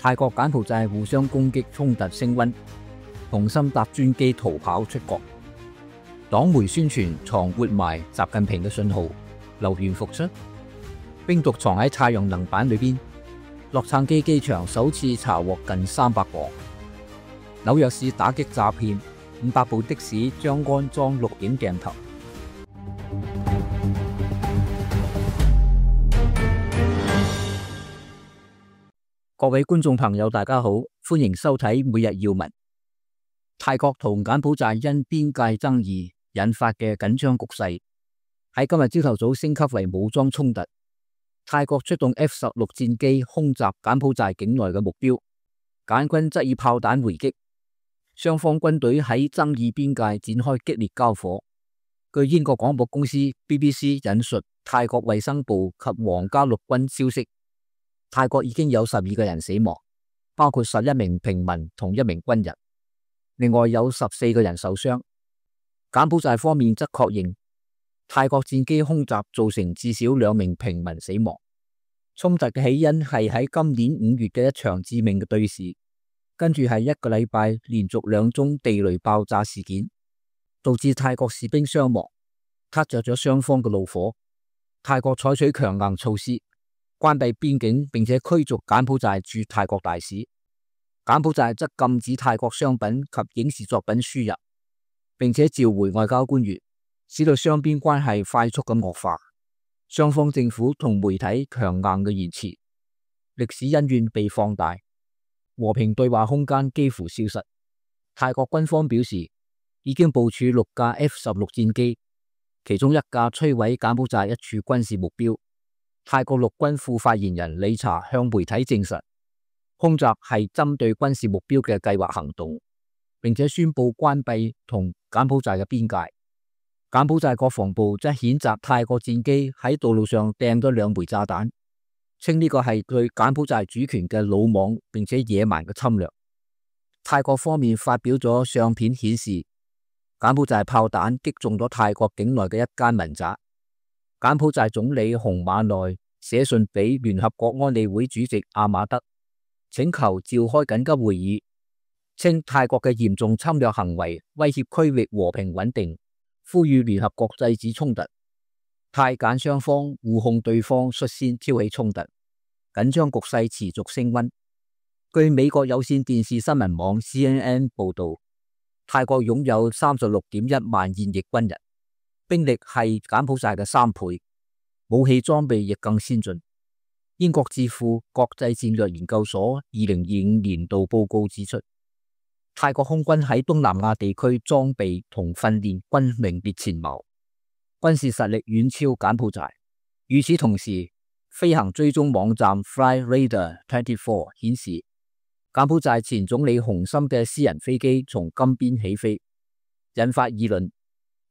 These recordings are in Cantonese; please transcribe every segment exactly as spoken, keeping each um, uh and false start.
泰國柬埔寨互相攻擊衝突升溫，洪森搭專機逃跑出國。黨媒宣傳藏活埋習近平嘅信號，流言復出。冰毒藏喺太陽能板裏邊。洛杉磯機場首次查獲近三百磅。紐約市打擊詐騙，五百部的士將安裝錄影鏡頭。各位觀眾朋友，大家好，歡迎收睇每日要聞。泰國同柬埔寨因邊界爭議引發嘅緊張局勢，喺今日朝頭早升級為武裝衝突。泰國出動 F 十六戰機空襲柬埔寨境內嘅目標，柬軍則以炮彈回擊。雙方軍隊喺爭議邊界展開激烈交火。據英國廣播公司 B B C 引述泰國衛生部及皇家陸軍消息，泰國已經有十二個人死亡，包括十一名平民同一名軍人，另外有十四個人受傷。柬埔寨方面則確認，泰國戰機空襲造成至少兩名平民死亡。衝突嘅起因係喺今年五月嘅一場致命嘅對峙，跟住係一個禮拜連續兩宗地雷爆炸事件，導致泰國士兵傷亡，撻着咗雙方嘅怒火。泰國採取強硬措施，關閉邊境，並且驅逐柬埔寨駐泰國大使。柬埔寨則禁止泰國商品及影視作品輸入，並且召回外交官員，使到雙邊關係快速咁惡化。雙方政府同媒體強硬嘅言辭，歷史恩怨被放大，和平對話空間幾乎消失。泰國軍方表示，已經部署六架 F 十六戰機，其中一架摧毀柬埔寨一處軍事目標。泰國陸軍副發言人理查向媒體證實，空襲係針對軍事目標嘅計劃行動，並且宣布關閉同柬埔寨嘅邊界。柬埔寨國防部則譴責泰國戰機喺道路上掟咗兩枚炸彈，稱呢個係對柬埔寨主權嘅魯莽並且野蠻嘅侵略。泰國方面發表咗相片顯示，柬埔寨炮彈擊中咗泰國境內嘅一間民宅。柬埔寨總理洪馬內寫信俾聯合國安理會主席阿馬德，請求召開緊急會議，稱泰國嘅嚴重侵略行為威脅區域和平穩定，呼籲聯合國制止衝突。泰柬雙方互控對方率先挑起衝突，緊張局勢持續升溫。據美國有線電視新聞網 C N N 報道，泰國擁有三十六點一萬現役軍人，兵力係柬埔寨嘅三倍，武器裝備亦更先進。英國智庫國際戰略研究所二零二五年度報告指出，泰國空軍喺東南亞地區裝備同訓練均名列前茅，軍事實力遠超柬埔寨。與此同時，飛行追蹤網站 Flyradar 二十四顯示，柬埔寨前總理洪森嘅私人飛機從金邊起飛，引發議論。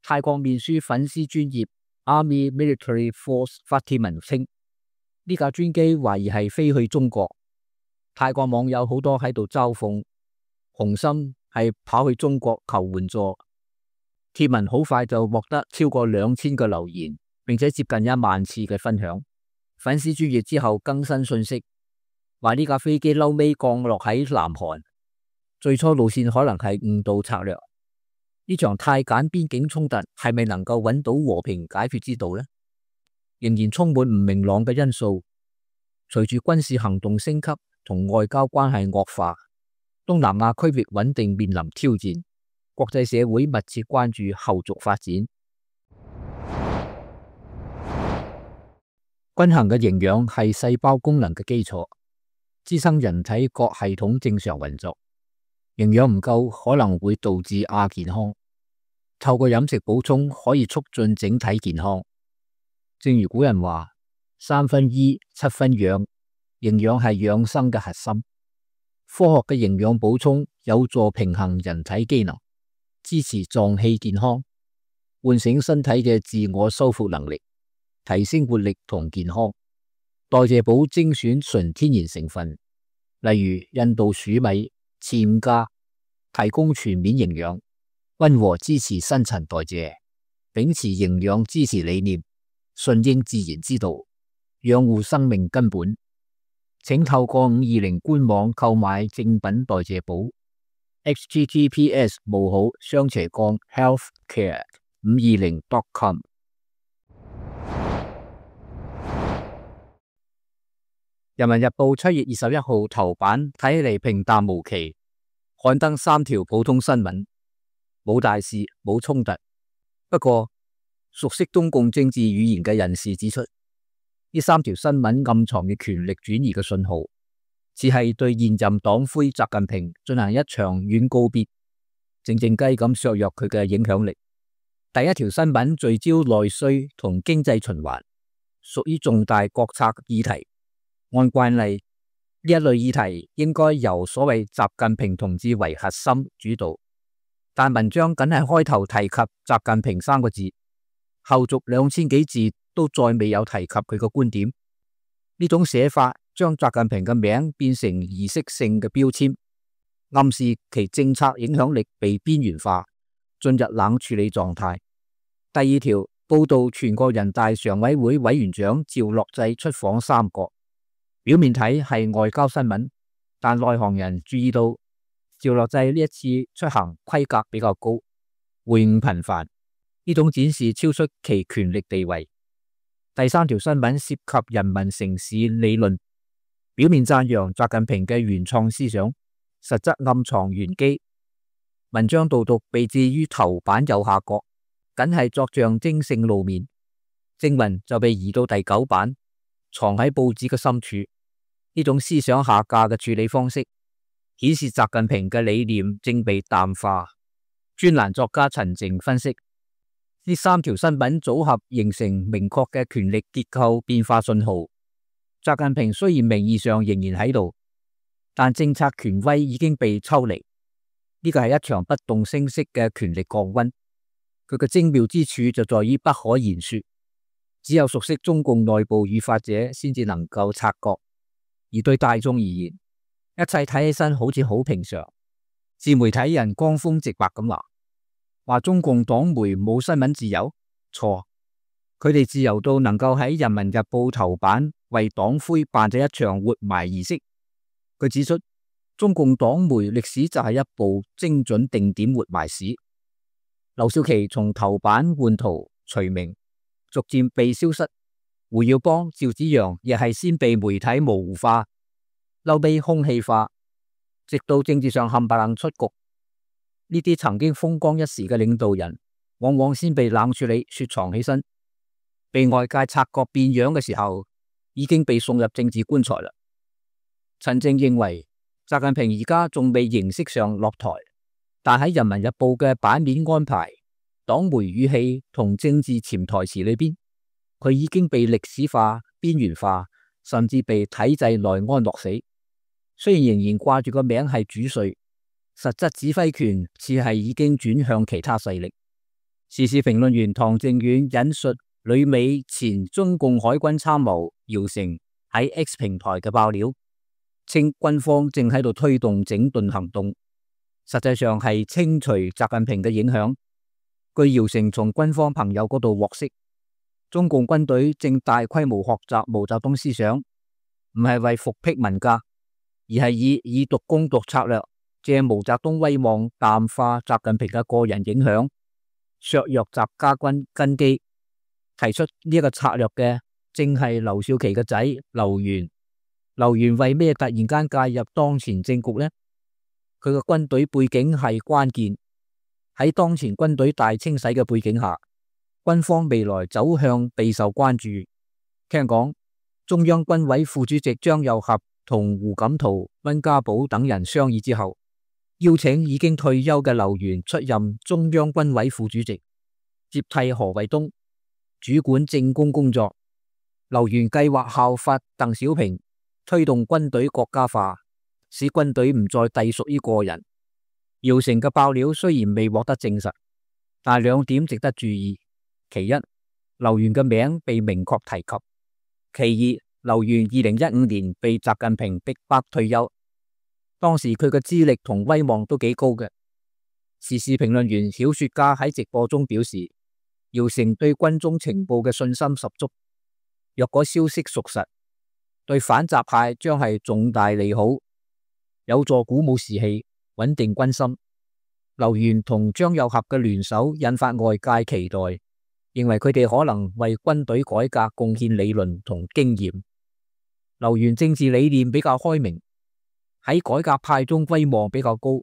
泰國面書粉絲專頁 Army Military Force 發帖文稱，呢架專機懷疑係飛去中國。泰國網友好多喺度嘲諷洪森係跑去中國求援助。帖文好快就獲得超過兩千個留言，並且接近一萬次嘅分享。粉絲專頁之後更新信息，話呢架飛機嬲尾降落喺南韓，最初路線可能係誤導策略。呢場泰柬邊境衝突係咪能夠揾到和平解決之道呢？仍然充滿唔明朗嘅因素。隨住軍事行動升級同外交關係惡化，東南亞區域穩定面臨挑戰。國際社會密切關注後續發展。均衡嘅營養係細胞功能嘅基礎，支撐人體各系統正常運作。營養唔夠可能會導致亞健康。透過飲食補充可以促進整體健康。正如古人話，三分醫，七分養，營養係養生嘅核心。科學嘅營養補充有助平衡人體機能，支持臟器健康，喚醒身體嘅自我修復能力，提升活力同健康。代謝寶精選純天然成分，例如印度鼠米、暹加，提供全面營養，溫和支持新陳代謝，秉持營養支持理念，順應自然之道，養護生命根本。請透過五二零官網購買正品代謝寶 h t t p s 冒號雙斜槓 healthcare 五二零 dot com。 人民日報七月二十一號頭版睇起嚟平淡無奇，刊登三條普通新聞，冇大事冇衝突。不過熟悉中共政治語言嘅人士指出，呢三條新聞暗藏嘅權力轉移嘅信號，只係對現任黨魁習近平進行一場軟告別，靜靜雞咁削弱佢嘅影響力。第一條新聞聚焦內需同經濟循環，屬於重大國策議題。按慣例，呢一類議題應該由所謂習近平同志為核心主導，但文章僅係開頭提及習近平三個字，後續兩千幾字都再未有提及佢個觀點。呢種寫法將習近平嘅名變成儀式性嘅標籤，暗示其政策影響力被邊緣化，進入冷處理狀態。第二條報道全國人大常委會委員長趙樂際出訪三國，表面睇係外交新聞，但內行人注意到趙樂際呢一次出行規格比較高，會晤頻繁，呢種展示超出其權力地位。第三條新聞涉及人民城市理論，表面讚揚習近平嘅原創思想，實則暗藏玄機。文章導讀被置於頭版右下角，僅係作象徵性露面，正文就被移到第九版，藏喺報紙嘅深處。呢種思想下架嘅處理方式，顯示習近平嘅理念正被淡化。專欄作家陳靜分析，呢三條新聞組合形成明確嘅權力結構變化信號。習近平雖然名義上仍然喺度，但政策權威已經被抽離。呢個係一場不動聲色嘅權力降溫。佢嘅精妙之處就在於不可言說，只有熟悉中共內部語法者先至能夠察覺。而對大眾而言，一切睇起身好似好平常。自媒體人江峰直白咁話，話中共黨媒冇新聞自由，錯。佢哋自由到能夠喺人民日報頭版為黨魁辦咗一場活埋儀式。佢指出，中共黨媒歷史就係一部精準定點活埋史。劉少奇從頭版換圖除名，逐漸被消失。胡耀邦、趙紫陽亦係先被媒體模糊化，後被空氣化，直到政治上冚唪唥出局。呢啲曾經風光一時嘅領導人，往往先被冷處理雪藏起身，被外界察覺變樣嘅時候，已經被送入政治棺材啦。陳靜認為，習近平而家仲未形式上落台，但喺人民日報嘅版面安排、黨媒語氣同政治潛台詞裏邊，佢已經被歷史化、邊緣化，甚至被體制內安樂死。雖然仍然掛住個名係主帥，實質指揮權似係已經轉向其他勢力。時事評論員唐正遠引述旅美前中共海軍參謀姚成喺 X 平台嘅爆料，稱軍方正喺度推動整頓行動，實際上係清除習近平嘅影響。據姚成從軍方朋友嗰度獲悉，中共軍隊正大規模學習毛澤東思想，唔係為復辟文革，而係以以毒攻毒策略，借毛澤東威望淡化習近平嘅個人影響，削弱習家軍根基。提出呢一個策略嘅正係劉少奇嘅仔劉源。劉源為咩突然間介入當前政局呢？佢嘅軍隊背景係關鍵。喺當前軍隊大清洗嘅背景下，軍方未來走向備受關注。聽講中央軍委副主席張又俠同胡錦濤、溫家寶等人商議之後，邀請已經退休嘅劉源出任中央軍委副主席，接替何衛東，主管政工工作。劉源計劃效法鄧小平，推動軍隊國家化，使軍隊唔再隸屬於個人。姚成嘅爆料雖然未獲得證實，但兩點值得注意。其一，劉源嘅名被明確提及；其二，劉源二零一五年被習近平逼迫退休，當時佢嘅資歷同威望都幾高嘅。時事評論員小說家喺直播中表示，姚成對軍中情報嘅信心十足，若果消息屬實，對反習派將係重大利好，有助鼓舞士氣，穩定軍心。劉元同張又俠嘅聯手引發外界期待，認為佢哋可能為軍隊改革貢獻理論同經驗。劉元政治理念比較開明，喺改革派中威望比較高，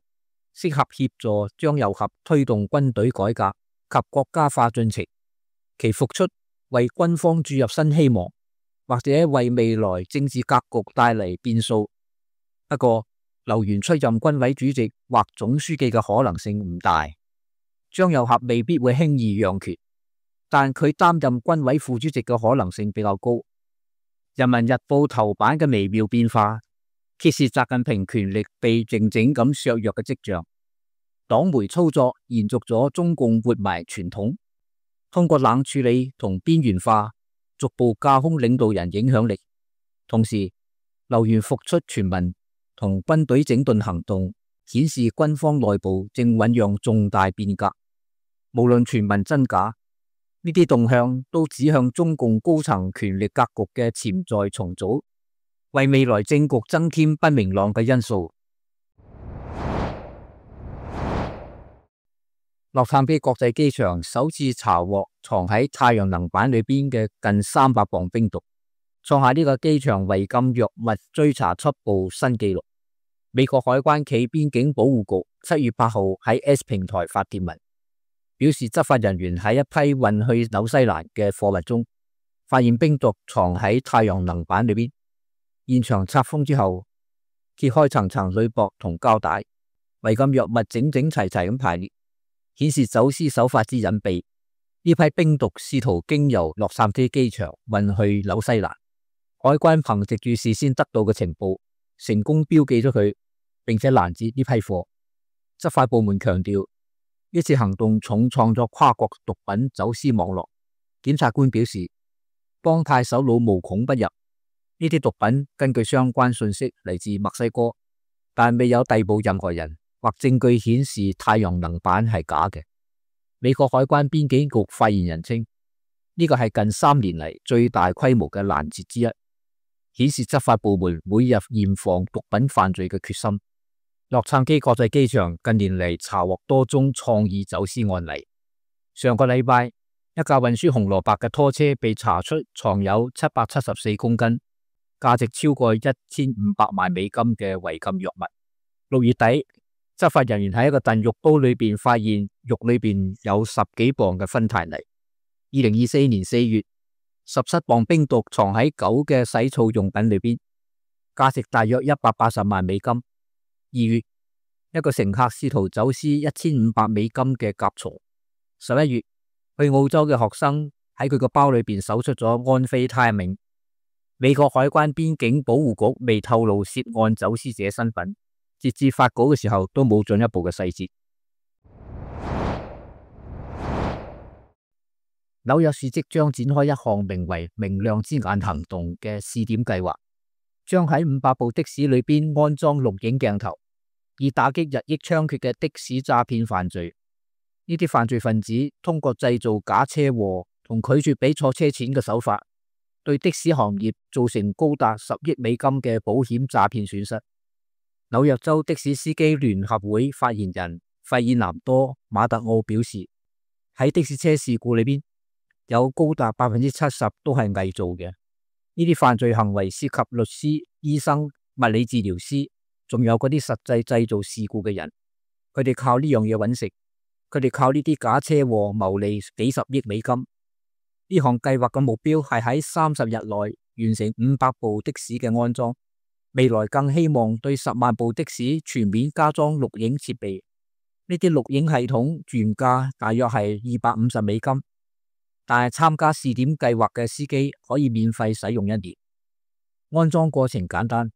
適合協助張又俠推動軍隊改革及國家化進程。其復出為軍方注入新希望，或者為未來政治格局帶嚟變數。不過，劉元出任軍委主席或總書記嘅可能性唔大，張又俠未必會輕易讓權，但佢擔任軍委副主席嘅可能性比較高。人民日報頭版嘅微妙變化，揭示習近平權力被靜靜咁削弱嘅跡象。黨媒操作延續咗中共活埋傳統，通過冷處理同邊緣化，逐步架空領導人影響力。同時，劉元復出傳聞同軍隊整頓行動顯示軍方內部正醞釀重大變革。無論傳聞真假，呢啲動向都指向中共高層權力格局嘅潛在重組，為未來政局增添不明朗嘅因素。洛杉磯國際機場首次查獲藏喺太陽能板裏邊嘅近三百磅冰毒，創下呢個機場違禁藥物追查緝捕新紀錄。美國海關暨邊境保護局七月八號喺 X 平台發帖文，表示執法人員喺一批運去紐西蘭嘅貨物中，發現冰毒藏喺太陽能板裏邊。現場拆封之後，揭開層層鋁箔同膠帶，違禁藥物整整齊齊咁排列，顯示走私手法之隱秘。呢批冰毒試圖經由洛杉磯機場運去紐西蘭，海關憑藉住事先得到嘅情報，成功標記咗佢，並且攔截呢批貨。執法部門強調，呢次行動重創咗跨國毒品走私網絡。檢察官表示，幫派首腦無孔不入。呢啲毒品根據相關信息嚟自墨西哥，但未有逮捕任何人或證據顯示太陽能板係假嘅。美國海關邊境局發言人稱，呢個係近三年嚟最大規模嘅攔截之一，顯示執法部門每日嚴防毒品犯罪嘅決心。洛杉磯國際機場近年嚟查獲多宗創意走私案例。上個禮拜，一架運輸紅蘿蔔嘅拖車被查出藏有七百七十四公斤，價值超過一千五百萬美金嘅違禁藥物。六月底，執法人員喺一個燉肉煲裏邊發現肉裏邊有十幾磅嘅芬太尼。二零二四年四月，十七磅冰毒藏喺狗嘅洗澡用品裏邊，價值大約一百八十萬美金。二月，一個乘客試圖走私一千五百美金嘅甲蟲。十一月，去澳洲嘅學生喺佢個包裏邊搜出咗安非他命。美國海關邊境保護局未透露涉案走私者身份，截至發稿嘅時候都冇進一步嘅細節。紐約市即將展開一項名為明亮之眼行動嘅試點計劃，將喺五百部的士裏邊安裝錄影鏡頭，以打擊日益猖獗嘅的，的士詐騙犯罪。呢啲犯罪分子通過製造假車禍同拒絕俾錯車錢嘅手法，對的士行業造成高達十億美金嘅保險詐騙損失。紐約州的士司機聯合會發言人費爾南多馬特奧表示，喺的士車事故裏邊，有高達百分之七十都係偽造嘅。呢啲犯罪行為涉及律師、醫生、物理治療師，仲有嗰啲實際製造事故嘅人。佢哋靠呢樣嘢揾食，佢哋靠呢啲假車禍牟利幾十億美金。呢項計劃嘅目標係喺三十日內完成五百部的士嘅安裝，未來更希望對十萬部的士全面加裝錄影設備。呢啲錄影系統原價大約係二百五十美金，但係參加試點計劃嘅司機可以免費使用一年。安裝過程簡單，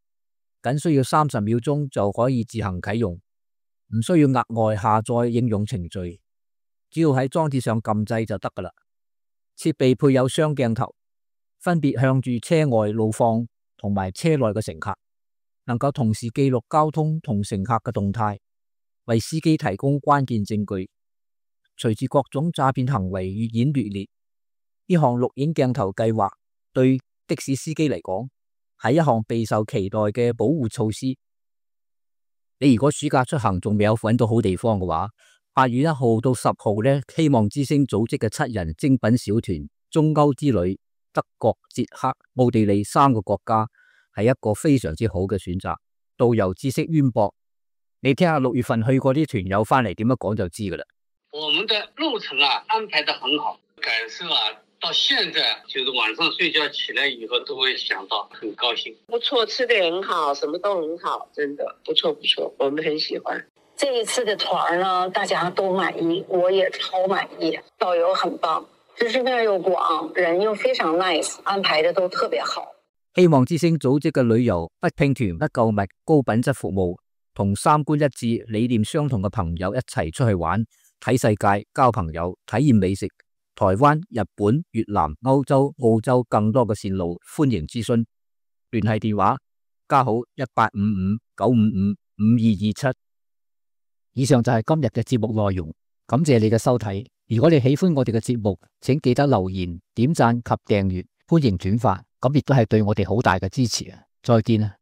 僅需要三十秒鐘就可以自行啟用，唔需要額外下載應用程序，只要喺裝置上撳掣就得㗎喇。設備配有雙鏡頭，分別向住車外路況同埋車內嘅乘客，能夠同時記錄交通同乘客嘅動態，為司機提供關鍵證據。隨住各種詐騙行為越演越烈，呢項錄影鏡頭計劃對的士司機嚟講係一項備受期待嘅保護措施。你如果暑假出行仲未有揾到好地方嘅話，八月一號到十號呢，希望之星組織嘅七人精品小團中歐之旅，德國、捷克、奧地利三個國家係一個非常之好嘅選擇。導遊知識淵博，你聽下六月份去過啲團友翻嚟點樣講就知噶啦。我們的路程啊安排得很好，感受啊到現在就是晚上睡覺起來以後都會想到，很高興。不錯，吃得很好，什麼都很好，真的不錯不錯，我們很喜歡。這一次的團呢，大家都滿意，我也超滿意。導遊很棒，知識面又廣，人又非常 nice， 安排得都特別好。希望之星組織嘅旅遊不拼團不購物，高品質服務，同三觀一致、理念相同嘅朋友一齊出去玩，睇世界、交朋友、體驗美食。台灣、日本、越南、歐洲、澳洲更多嘅線路，歡迎諮詢。聯繫電話加號一八五五九五五五二二七。以上就係今日嘅節目內容，感謝你嘅收睇。如果你喜歡我哋嘅節目，請記得留言、點讚及訂閱，歡迎轉發，咁亦都係對我哋好大嘅支持啊！再見啊！